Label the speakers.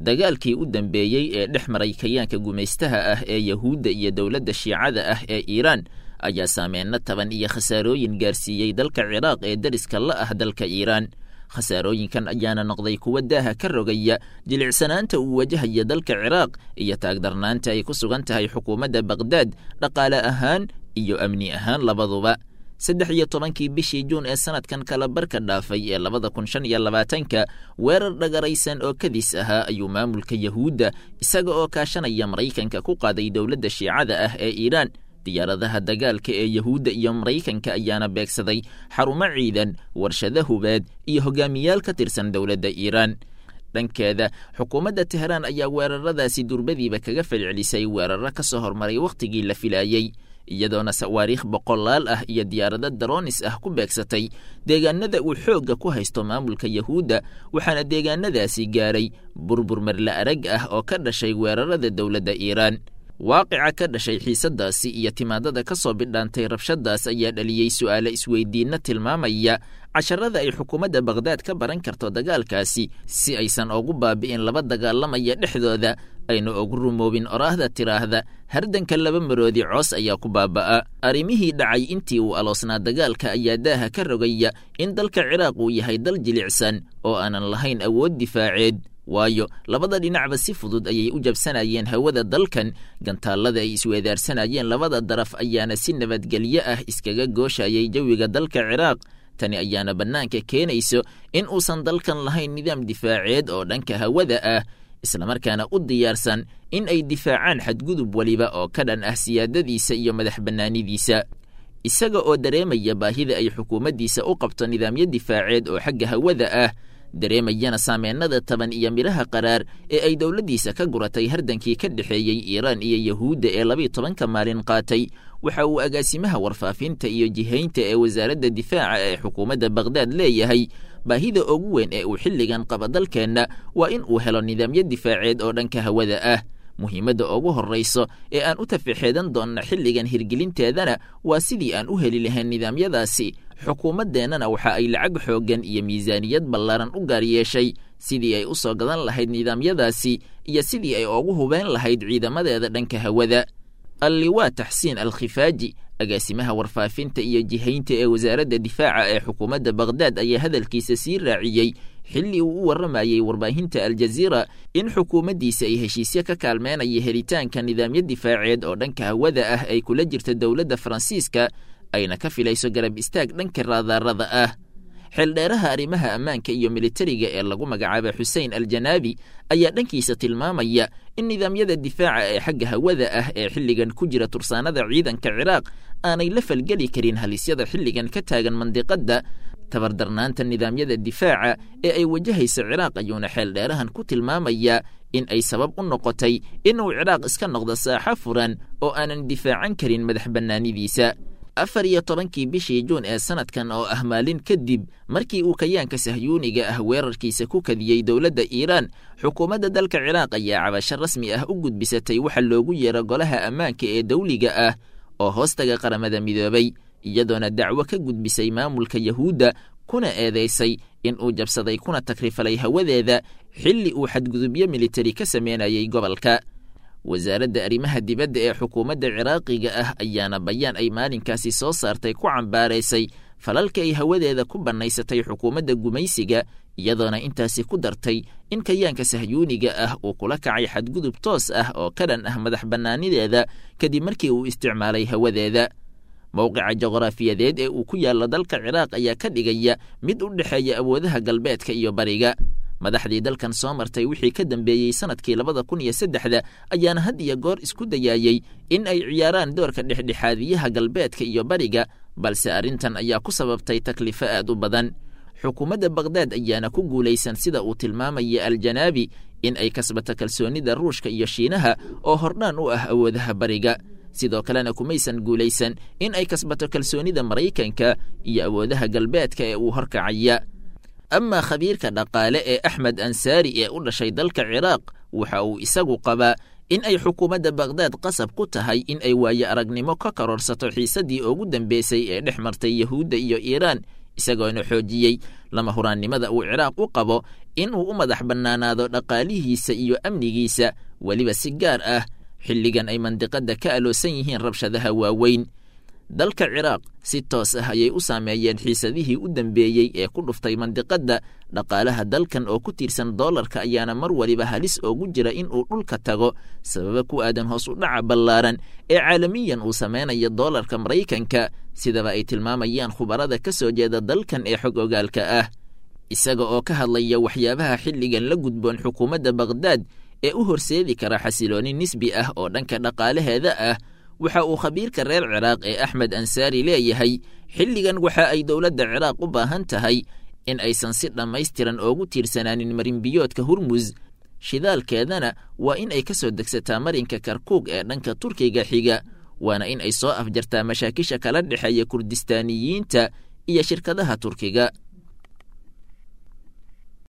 Speaker 1: Dagaalkii u dambeeyey ee dhex maray kayaanka gumaystaha ah ee Yahuudda iyo dowladda Shiicada ah ee Iiraan ayaa saameyno taban iyo khasaarooyin gaarsiiyey dalka Ciraaq ee deriska la ah dalka Iiraan. Khasaarooyinkan ayaana noqday kuwa daaha ka rogaya jilicsanaanta uu wajahaya dalka Ciraaq iyo taagdarnaanta ay ku sugan tahay xukuumadda Baqhdaad dhaqaale ahaan iyo amni ahaan labaduba. 13-kii bishii Juun ee sanadkan kala barka dhaafay ee 2025-ka, weerar dhagaraysan oo kadis ahaa ayuu maamulka Yahuudda isaga oo kaashanaya Maraykanka ku qaaday dowladda Shiicada ah ee Iiraan. Diyaaradaha dagaalka ee Yahuudda iyo Maraykanka ayaana beegsaday xarumo ciidan, warshado hubeed iyo hogaamiyaal ka tirsan dowladda Iiraan. Dhankeeda, xukuumadda Tehraan ayaa weeraradaasi durbadiiba kaga falcelisay weeraro ka soo hormaray wakhtigii la filaayey, iyadoona sawaariikh boqolaal ah iyo diyaarado daroonis ah ku beegsatay deegaanada uu xoogga ku haysto maamulka Yahuudda, waxaana deegaanadaasi gaaray burbur marla arag ah oo ka dhashay weerarada dowladda Iiraan. Waaqica ka dhashay xiisadaasi iyo timaadada ka soo bidhaantay rabshadaas ayaa dhaliyey su'aale isweydiinno tilmaamaya casharada ay xukuumadda Baqhdaad ka baran karto dagaalkaasi, si aysan ugu baabi'in laba dagaalamaya dhexdooda, ayna ugu rumoobin oraahda tiraahda hardanka laba maroodi coos ayaa ku baaba'a. Arrimihii dhacay intii uu aloosnaa dagaalka ayaa daaha ka rogaya in dalka Ciraaq uu yahay dal jilicsan oo aanan lahayn awood difaaceed, waayo labada dhinacba si fudud ayay u jabsanayeen hawada dalkan. Gantaallada ay isweedaarsanayeen labada daraf ayaana si nabadgelyo ah iskaga gooshayay jawiga dalka Ciraaq. Tani ayaana bannaanka keenayso in uusan dalkan lahayn nidaam difaaceed oo dhanka hawada ah, islamarkaana u diyaarsan in ay difaacaan xadgudub weliba oo ka dhan ah siyaadadiisa iyo madax bannaanidiisa. Isaga oo dareemaya baahida ay xukuumaddiisa u qabto nidaamyo difaaceed oo xagga hawada ah, dareemayana saameennada taban iyo midhaha qaraar ee ay dowladdiisa ka guratay hardankii ka dhexeeyey Iiraan iyo Yahuudda ee 12-ka maalin qaatay, waxa uu agaasimaha warfaafinta iyo jihaynta ee wasaaradda difaaca ee xukuumadda Baqhdaad leeyahay: baahida ugu weyn ee uu xilligan qaba dalkeenna waa in uu helo nidaamyo difaaceed oo dhanka hawada ah. Muhiimadda ugu horrayso ee aan u tafixeedan doonna xilligan hirgelinteedana waa sidii aan u heli lahayn nidaamyadaasi. Xukuumaddeennana waxa ay lacag xooggan iyo miisaaniyad ballaaran u gaar yeeshay sidii ay u soo gadan lahayd nidaamyadaasi iyo sidii ay ugu hubeen lahayd ciidamadeeda dhanka hawada. Alliwaa Taxsiin Alkhifaaji, agaasimaha warfaafinta iyo jihaynta ee wasaaradda difaaca ee xukuumadda Baqhdaad, ayaa hadalkiisa sii raaciyey xilli uu u warramayey warbaahinta Aljaziira in xukuumaddiisa ay heshiisyo ka kaalmeynaya helitaanka nidaamyo difaaceed oo dhanka hawada ah ay kula jirta dowladda Faransiiska, ayna ka filayso garab istaag dhanka raadaarada ah. Xeeldheeraha arrimaha ammaanka iyo militariga ee lagu magacaaba Xuseen Aljanaabi ayaa dhankiisa tilmaamaya in nidaamyada difaaca ee xagga hawada ah ee xilligan ku jira tursaanada ciidanka Ciraaq aanay la falgeli karin halisyada xilligan ka taagan mandiqadda. Tabardarnaanta nidaamyada difaaca ee ay wajahaysa Ciraaq ayuuna xeeldheerahan ku tilmaamayaa in ay sabab u noqotay inuu Ciraaq iska noqdo saaxo furan oo aanan difaacan karin madax bannaanidiisa. 14-kii bishii Juun ee sanadkan, oo ah maalin kadib markii uu kayaanka sahyuuniga ah weerarkiisa ku kadiyey dowladda Iiraan, xukuumadda dalka Ciraaq ayaa cabasho rasmi ah u gudbisatay waxa loogu yeero Golaha Ammaanka ee dowliga ah oo hoostaga Qaramada Midoobay, iyadoona dacwo ka gudbisay maamulka Yahuudda kuna eedeysay in uu jabsaday kuna takrifalay hawadeeda xilli uu xadgudubyo militari ka sameynayay gobolka. Wasaaradda arrimaha dibadda ee xukuumadda Ciraaqiga ah ayaana bayaan ay maalinkaasi soo saartay ku cambaaraysay falalka ay hawadeeda ku bannaysatay xukuumadda gumaysiga, iyadoona intaasi ku dartay in kayaanka sahyuuniga ah uu kula kacay xadgudub toos ah oo ka dhan ah madax bannaanideeda kadib markii uu isticmaalay hawadeeda. Mowqica juqraafiyadeed ee uu ku yaallo dalka Ciraaq ayaa ka dhigaya mid u dhexeeya awoodaha galbeedka iyo bariga. Madaxdii dalkan soo martay wixii ka dambeeyey sanadkii 2003-da ayaana had iyo goor isku dayaayey in ay ciyaaraan doorka dhexdhexaadiyaha galbeedka iyo bariga, balse arrintan ayaa ku sababtay taklifo aad u badan. Xukuumadda Baqhdaad ayaana ku guulaysan, sida uu tilmaamaya Aljanaabi, in ay kasbato kalsoonida Ruushka iyo Shiinaha oo hordhaan u ah awoodaha bariga. Sidoo kalena kumaysan guulaysan in ay kasbato kalsoonida Maraykanka iyo awoodaha galbeedka ee uu horkacaya. Amaa khabiirka dhaqaale ee Axmed Ansaari ee u dhashay dalka Ciraaq waxa uu isagu qabaa in ay xukuumadda Baqhdaad qasab ku tahay in ay waayo aragnimo ka kororsato xiisaddii ugu dambeysay ee dhex martay Yahuudda iyo Iiraan. Isagoona xoojiyey lama huraannimada uu Ciraaq u qabo in uu u madax bannaanaado dhaqaalihiisa iyo amnigiisa, weliba si gaar ah xilligan ay mandiqadda ka aloosan yihiin rabshadaha waaweyn. Dalka Ciraaq si toos ah ayay u saameeyeen xiisadihii u dambeeyey ee ku dhuftay mandiqadda. Dhaqaalaha dalkan oo ku tiirsan doolarka ayaana mar waliba halis oogu jira in uu dhulka tago, sababa ku aadan hoos u dhaca ballaaran ee caalamiyan uu sameynayo doolarka Maraykanka, sidaba ay tilmaamayaan khubarada ka soo jeeda dalkan ee xog ogaalka ah. Isaga oo ka hadlaya waxyaabaha xilligan la gudboon xukuumadda Baqhdaad ee u horseedi kara xasilooni nisbi ah oo dhanka dhaqaalaheeda ah, waxa uu khabiirka reer Ciraaq ee Axmed Ansaari leeyahay: xilligan waxa ay dowladda Ciraaq u baahan tahay in aysan si dhammaystiran oogu tiirsanaanin marinbiyoodka Hurmus, shidaalkeedana waa in ay ka soo degsataa marinka Karkuug ee dhanka Turkiga xiga, waana in ay soo afjartaa mashaakisha kala dhexeeya Kurdistaaniyiinta iyo shirkadaha Turkiga.